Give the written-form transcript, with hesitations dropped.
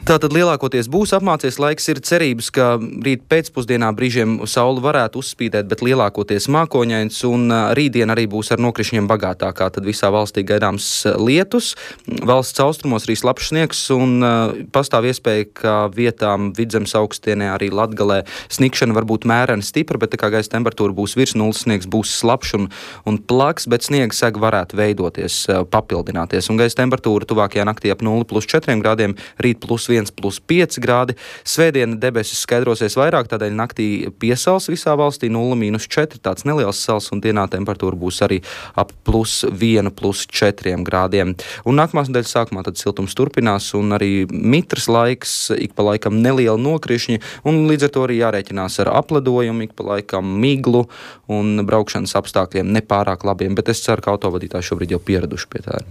Tātad lielākoties būs apmācies laiks, ir cerības, ka rīt pēcpusdienā brīžiem saule varētu uzspīdēt, bet lielākoties mākoņains, un rītdien arī būs ar nokrišņiem bagātākā. Tad visā valstī gaidāms lietus, valsts austrumos arī slapjš sniegs, un pastāv iespēja, ka vietām Vidzemes augstienē arī Latgalē snikšana var būt mērena stipra, bet tā kā gaisa temperatūra būs virs nulles, sniegs būs slapjš un plaks, bet sniega sega varētu veidoties, papildināties. Un gaisa temperatūra tuvākajā naktī ap 0+4 grādiem, rīt +1+5 grādi. Svētdiena debesis skaidrosies vairāk, tādēļ naktī piesals visā valstī 0-4, tāds neliels sals, un dienā temperatūra būs arī ap +1+4 grādiem. Un nākamās nedēļas sākumā tad siltums turpinās, un arī mitras laiks, ik pa laikam neliela nokrišņi, un līdz ar to arī jārēķinās ar apledojumu, ik pa laikam miglu un braukšanas apstākļiem nepārāk labiem, bet es ceru, ka autovadītāji šobrīd jau pieraduši pie tā.